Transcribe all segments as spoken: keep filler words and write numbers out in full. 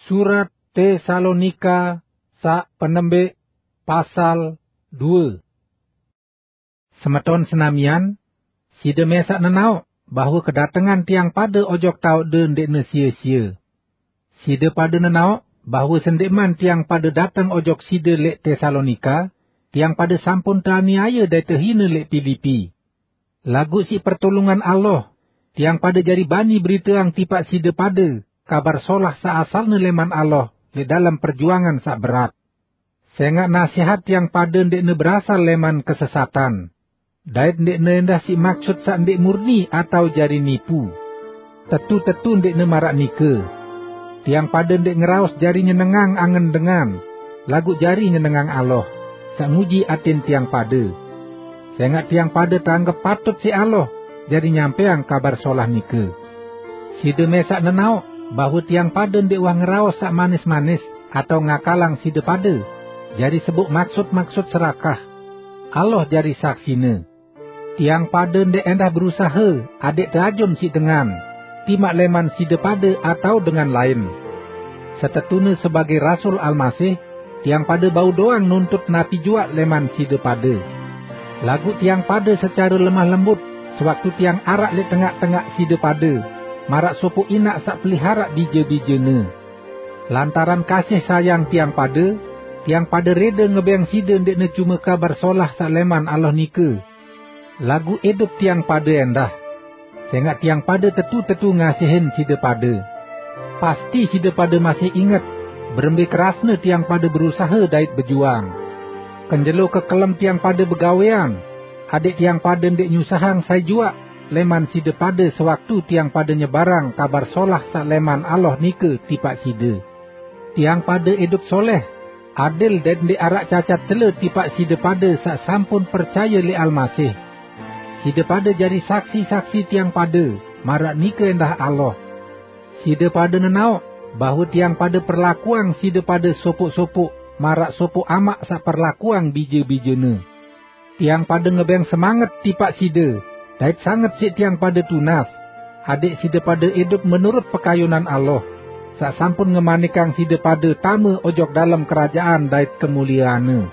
Surat Tesalonika sak penembik, pasal due. Semeton senamian, side mesak nenaok bahwe kedatengan tiang pade ojok taokde ndikne sie-sie. Side pade nenaok bahwe sendikman tiang pade dateng ojok side lek Tesalonika, tiang pade sampun teaniaye dait tehine lek Pilipi. Laguq siq pertulungan Allah, tiang pade jari bani beriteang tipaq side pade Kabar Solah saq asalne leman Allah leq dalem perjuangan saq berat. Sengaq nasehat tiang pade ndeqne berasal leman kesesatan, dait ndeqne endah siq maksut saq ndeq murni atao jari nipu. Tetu-tetu ndeqne maraq nike. Tiang pade ndeq ngeraos jari nyenengang angen dengan, laguq jari nyenengang Allah, saq nguji atin tiang pade. Sengaq tiang pade teanggep patut siq Allah jari nyampeang Kabar Solah nike. Side mesak nenaok bahwe tiang pade ndeq wah ngeraos saq manis-manis atao ngakalang side pade jari sebuk maksut-maksut serakah. Allah jari saksine. Tiang pade ndeq endah berusahe adeq teajum siq dengan, timaq leman side pade atao dengan lain. Setetune sebagei rasul Almasih, tiang pade bau doang nuntut napi juaq leman side pade. Laguq tiang pade secare lemah lembut sewaktu tiang araq leq tengaq-tengaq side pade, maraq sopoq inaq saq peliharaq bije-bijene. Lantaran kasih sayang tiang pade, tiang pade rede ngebeng side ndeqne cume Kabar Solah saq leman Allah nike, laguq idup tiang pade endah. Sengaq tiang pade tetu-tetu ngasihin side pade. Pasti side pade masih inget berembe kerasne tiang pade berusahe dait bejuang. Kenjelo kekelem tiang pade begawean, adeq tiang pade ndeq nyusahang sai juaq leman side pade sewaktu tiang pade nyebarang Kabar Solah saq leman Allah nike tipaq side. Tiang pade idup soleh, adil dait ndeq araq cacat cele tipaq side pade saq sampun percaye leq Almasih. Side pade jari saksi-saksi tiang pade, maraq nike endah Allah. Side pade nenaoq bahwe tiang pade perlakuang side pade sopoq-sopoq maraq sopoq amaq saq perlakuang bije-bijene. Tiang pade ngebeng semanget tipaq side, dait sanget siq tiang pade tunas, adeq side pade idup menurut pekayunan Allah, saq sampun ngemanikang side pade tame ojok dalem kerajaan dait kemulieanne.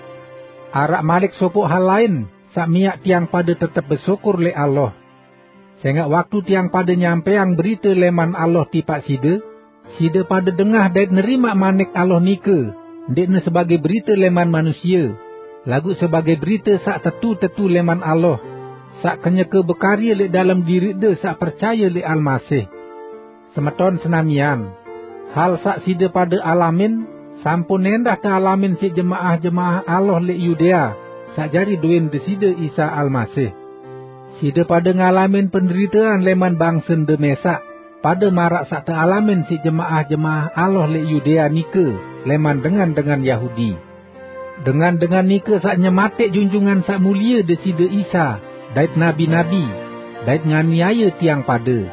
Araq malik sopoq hal lain saq miaq tiang pade tetep besyukur leq Allah. Sengaq waktu tiang pade nyampeang berite leman Allah tipaq side, side pade dengah dait nerimaq manik Allah nike, ndeqne sebagei berite leman manusie, laguq sebagei berite saq tetu-tetu leman Allah, saq kenyeke bekarye leq dalem diriqde saq percaye leq Almasih. Semeton senamian, hal saq side pade alamin, sampun endah tealamin siq jemaah-jemaah Allah leq Yudea, saq jari dowin Deside Isa Almasih. Side pade ngalamin penderitean leman bangsende mesaq, pade maraq saq tealamin siq jemaah-jemaah Allah leq Yudea nike leman dengan-dengan Yahudi. Dengan-dengan nike saq nyematik Junjungan Saq Mulie Deside Isa dait nabi-nabi, dait nganiaye tiang pade.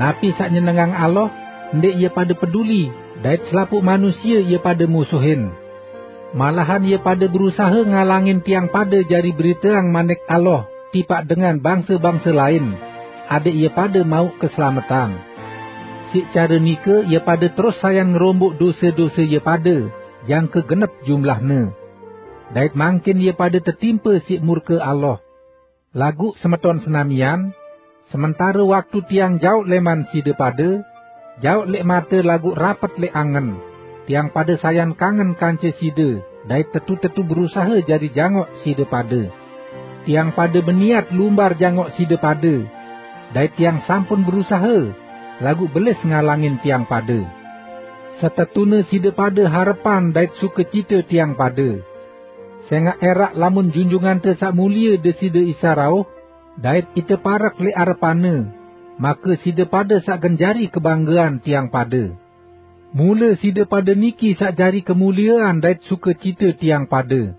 Napi saq nyenengang Allah, ndeq ie pade peduli, dait selapuq manusie ie pade musuhin. Malahan ie pade berusahe ngalangin tiang pade jari beriteang manik Allah tipaq dengan bangse-bangse lain, adeq ie pade mauq keslametan. Siq care nike ie pade terus sayan ngeromboq dose-dose ie pade, jangke genep jumlahne. Dait mangkin ie pade tetimpe siq murke Allah. Laguq semeton senamian, sementare waktu tiang jaoq leman side pade, jaoq leq mate laguq rapet leq angen, tiang pade sayan kangen kance side, dait tetu-tetu berusahe jari jangoq side pade. Tiang pade beniat lumbar jangoq side pade, dait tiang sampun berusahe, laguq belis ngalangin tiang pade. Setetune side pade harepan dait sukecite tiang pade. Sengaq eraq lamun Junjungante Saq Mulie Deside Isa rauh, dait ite parek leq arepanne, make side pade saq gen jari kebanggean tiang pade. Mule side pade niki saq jari kemuliean dait sukecite tiang pade.